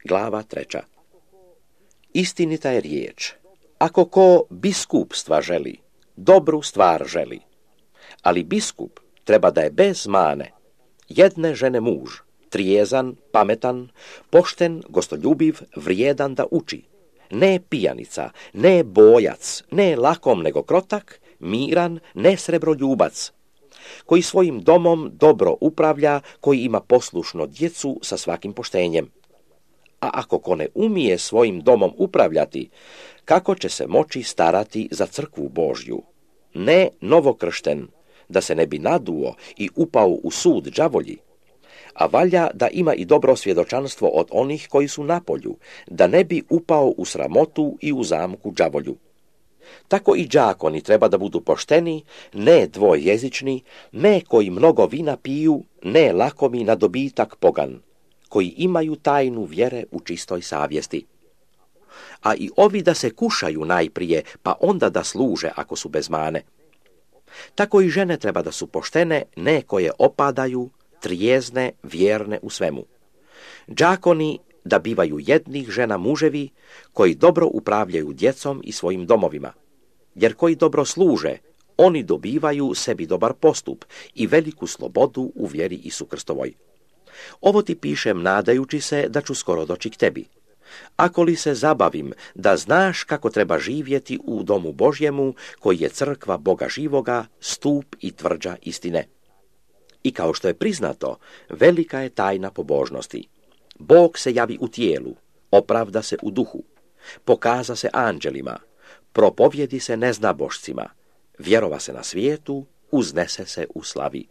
Glava 3. Istinita je riječ. Ako ko biskupstva želi, dobru stvar želi. Ali biskup treba da je bez mane, jedne žene muž, trijezan, pametan, pošten, gostoljubiv, vrijedan da uči. Ne pijanica, ne bojac, ne lakom nego krotak, miran, ne srebroljubac, koji svojim domom dobro upravlja, koji ima poslušno djecu sa svakim poštenjem. A ako ko ne umije svojim domom upravljati, kako će se moći starati za crkvu Božju? Ne novokršten, da se ne bi naduo i upao u sud đavolji, a valja da ima i dobro svjedočanstvo od onih koji su na polju, da ne bi upao u sramotu i u zamku đavolju. Tako i đakoni treba da budu pošteni, ne dvojezični, ne koji mnogo vina piju, ne lakomi na dobitak pogan, koji imaju tajnu vjere u čistoj savjesti. A i ovi da se kušaju najprije, pa onda da služe ako su bez mane. Tako i žene treba da su poštene, ne koje opadaju, trijezne, vjerne u svemu. Đakoni da bivaju jednih žena muževi, koji dobro upravljaju djecom i svojim domovima. Jer koji dobro služe, oni dobivaju sebi dobar postup i veliku slobodu u vjeri Isu Krstovoj. Ovo ti pišem nadajući se da ću skoro doći k tebi. Ako li se zabavim da znaš kako treba živjeti u domu Božjemu, koji je crkva Boga živoga, stup i tvrđa istine. I kao što je priznato, velika je tajna pobožnosti. Bog se javi u tijelu, opravda se u duhu, pokaza se anđelima, propovjedi se neznabošcima, vjerova se na svijetu, uznese se u slavi.